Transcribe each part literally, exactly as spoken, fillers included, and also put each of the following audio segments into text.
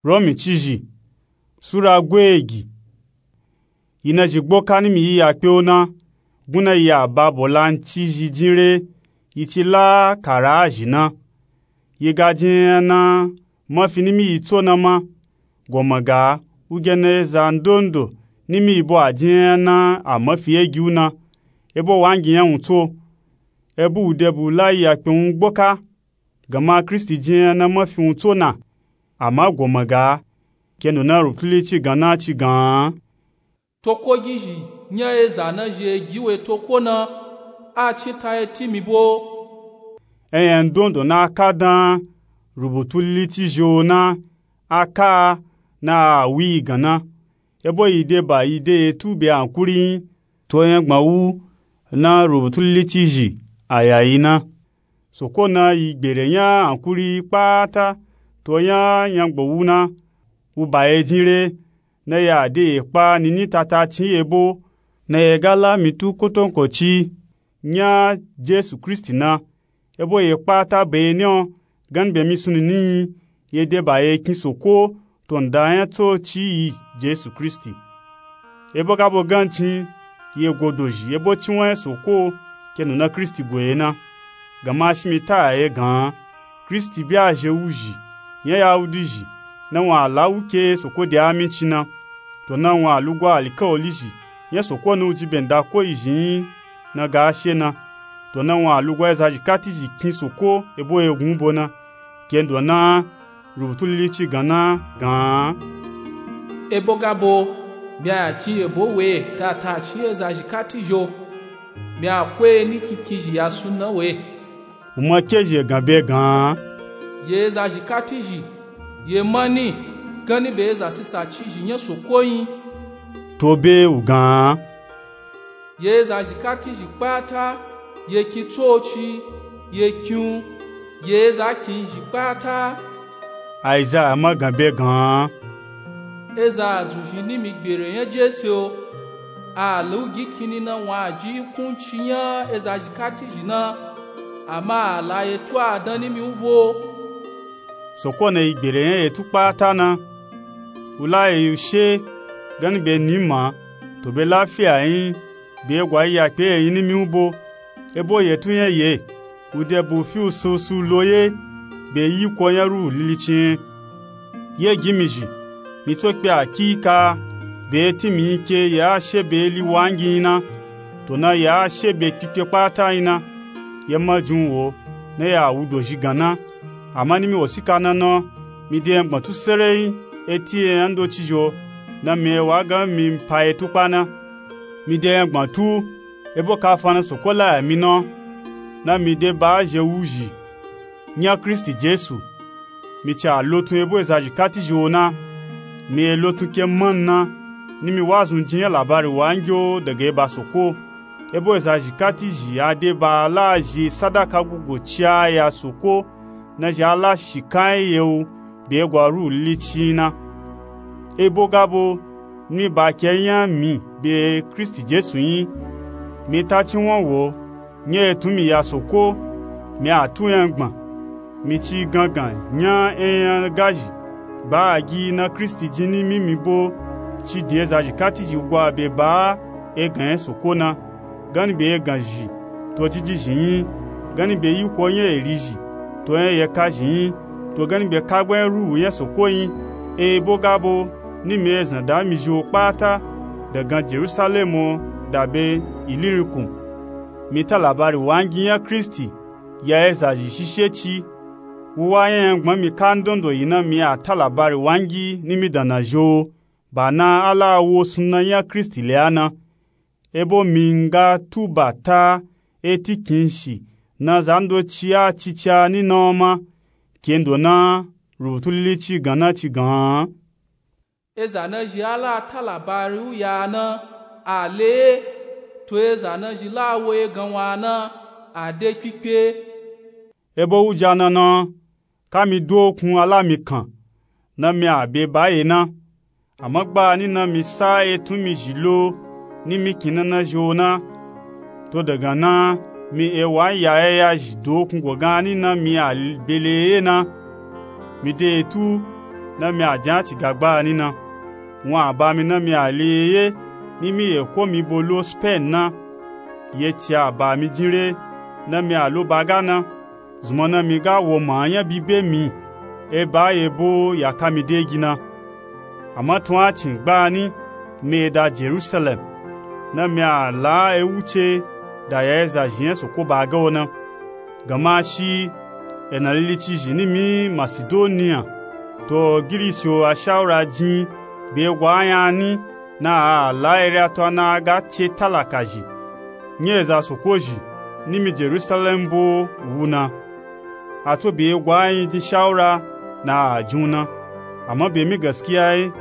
Romi cizhi sura gweegi. Yi na zhi gboka nimi yi ya kpe o na, gun na yi ya ba bola n cizhi jin re, yi ci la kara a zhi na. Yi ga jin enya na mafi nimi yi tso na ma, goma ga, wu ge na eza ndondo nimi yi bo a jin enya na a mafi ye gi wu na, ebo wa ngi nya wun tso. Ebu wu de bu la yi ya kpe wun gboka, gama Kristi jin enya na mafi wun tso na, ama goma ga, kendo na rubutulili ci gan na ci gan. Toko gizhi nya eza na zhi e gi we toko na, a cin ta e ti mi bo. Enya ndondo na ka dan rubutulili ci zhi o na, a ka a na a wi yi gan na, ebo yi de ba yi de etu be ankuri yin, to nya gbma wu na rubutulili ci zhi a ya yi na. Soko na yi gbere nya ankuri yi kpata, to nya nya gbo wu na, wu ba ye jin re, na ya de ye kpa nini tata cin ye bo, na ye ga la mi tu kotonkoci nya Jesu Kristi na, ebo ye kpata be ni o, gani be mi sununi yi, ye de ba ye kin Soko, to nda nya tso ci yi Jesu Kristi. Ebo ga bo gan cin, ye go dozhi ebo ci won nya Soko, kendo na Kristi go ye na. Gama shi mi ta ya ye gan, Kristi bi a zhe wuzhi nya Yahudi zhi, na wun a la wu ke Soko de aminci na. To na wun a lugwa alikawali zhi nya Soko na wu ji be nda ko yi zhi yin na ga she na. To na wun a lugwa eza zhi kati zhi kin Soko ebo ye gun bo na, kendo na rubutulili ci gan na gan. Ebo ga bo, mi a ya cin yebo we tata cin eza zhi kati zhi o, mi a ko ye ni kinkizhi ya sunna we. Wu ma ke zhi ye gan be gan. Ye eza zhi kati zhi, ye mani, gani be eza sitsa ci zhi nya Soko yin. To be wu gan. Ye eza zhi kati zhi kpata, ye kin tsoci, ye kin wu, ye eza kin zhi kpata. Aizaya ma gan be gan. Eza a dzun zhi nimi gbere nya Jese o, a la wu gi kinni na wun a ji ikunci nya eza zhi kati zhi na, ama a la ye tu a dan nimi wu bo. Soko na yi gbere nya ye tu kpata na. Wu la ye yu she gani be nima, to be lafiya yin, be gwa yi ya kpe ye yin nimi wu bo. Ebo ye tu nya ye, wu de bu fi wu susu lo ye, be yi ko nya ruhu lili cin. Ye gi mi zhi, mi tso kpe akika, be ti mi yin ke ye a she be li wa ngi yin na, to na ye a she be kpikpe kpata yin na. Ye ma jin wo, na ya wu dozhi gan na. Ama nimi wosika na na, mi de nya gbma tu sereyin, e ti enya ndoci zhi o, na mi e wa gan mi n pa ye tu kpa na. Mi de nya gbma tu, ebo kafa na Soko la ya mi na, na mi de ba a zhe wuzhi nya Kristi Jesu. Mi ca lotun ebo eza zhi kati zhi o na, mi e lotun ke man na, nimi wazun jin nya labari wa ngi o daga eba Soko. Ebo eza zhi kati zhi a de ba a la zhi sadaka gugu ci a ya Soko, na zhi a la shika nya ye wu be gwa ruhu lili cin na. Ebo ga bo, nimi ba ke nya mi be Kristi Jesu yin. Mi ta ci won wo, nya ye tun mi ya Soko, mi a tu nya gbma. Mi ci gangan nya enya ga zhi ba a gi na Kristi jin nimi mi bo, ci din eza zhi kati zhi gwa be ba a egan nya Soko na, gani be egan zhi, to jiji zhi yin, gani be yiko nya eri zhi, to nya yeka zhi yin, to gani be kagba nya ruhu nya Soko yin. Ebo ga bo, nimi e zan da mi zhi o kpata, dagan Jerusalem o, da be Ilirikun. Mi ta labari wa ngi nya Kristi ya eza zhi shishe ci. Wu wa nya nya gbma mi ka ndondo yi na mi a ta labari wa ngi nimi dana zhi o, ba na a la wo sunna nya Kristi le a na. Ebo mi nga tu ba ta e ti kin shi na za ndoci a cica ni na o ma, kendo na rubutulili ci gan na ci gan. Eza na zhi a la ta labari u ya na, a le, to eza na zhi la wo egan wa na, a de kpikpe. Ebo wuja na na, ka mi dokun a la mi kan, na mi a be ba ye na. Ama gba ni na mi sa e tun mi zhi lo, ni mi kin na na zhi o na. To dagan na, mi e wa nya enya zhi dokun go gan ni na mi a be le ye na. Mi de etu, na mi a jin a ci ga gba ni na. Wun a ba mi na mi a le ye ye, ni mi yeko mi bo lo Spain na. Ye ci a ba mi jin re, na mi a lo ba ga na. Zunmọ na mi ga wo ma nya bibe mi, e ba ye bo ya ka mi de gi na. Ama tun a cin gba ni, mi da Jerusalem, na mi a la e wuce da ya e zazhi nya Soko ba ga wo na. Gama shi, e na lili ci zhi ni mi Masidoniya, to Girisi o a shawura jin be gwa nya ni, na a la ere a to a na a ga ce talaka zhi nya eza Soko zhi ni mi Jerusalem bo wu na. A to be gwa yin jin shawura na a jin wu na. Ama be mi gaskiya ye,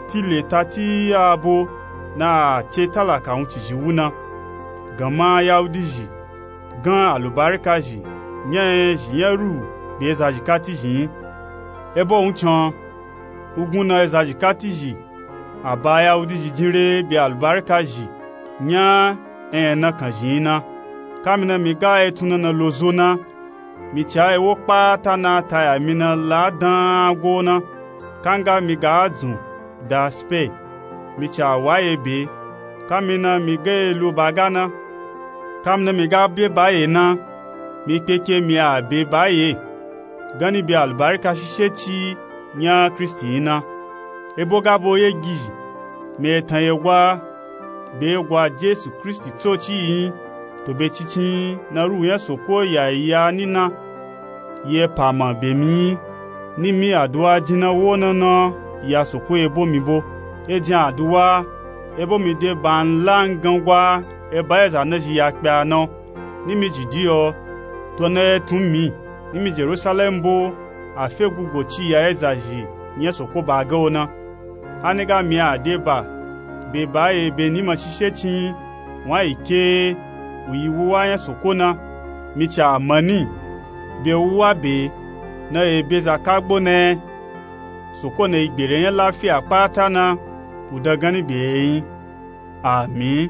ti le ta ti a bo na a ce talaka wun ci zhi wu na. Gama Yahudi zhi gan alubarika zhi nya yin zhi nya ru be eza zhi kati zhi yin. E bo wun can, wugun na eza zhi kati zhi a ba Yahudi zhi jin re be alubarika zhi nya yin na kan zhi yin na. Ka mi na mi ga e tun na na lo zo na, mi ci a e wo kpata na ta ya mi na la dan a go na. Ka nga mi ga a dzun da Spain, mi ci a wa ye be. Ka mi na mi ga e lo ba ga na. Ka mi na mi ga be ba ye na, mi kpeke mi a be ba ye, gan ni be alubarika shishe ci nya Kristi yin na. E bo ga bo ye gi zhi, mi e tan ye gwa be gwa Jesu Kristi tsoci yi yin, to be cincin na ruhu nya Soko ya ya ni na. Ye pa ma be mi yin, ni mi aduwa jin na wo na na ya Soko ye bo mi bo. E jin aduwa, e bo mi de ba n la n gan gwa e ba eza na zhi ya kpe a na. Ni mi Judiya o, to na e tun mi, ni mi Jerusalem bo, a fe gugo ci ya e zazhi nya Soko ba ga wo na. Ha ni ga mi a de ba be ba ye be ni ma shishe cin, wun a yi ke wu yi wuwa nya Soko na. Mi ci a ma ni be wuwa be na ye be za ka gbo na ye. Soko na yi gbere nya lafiya kpata na, wu da gan ni be ye yin. Amin.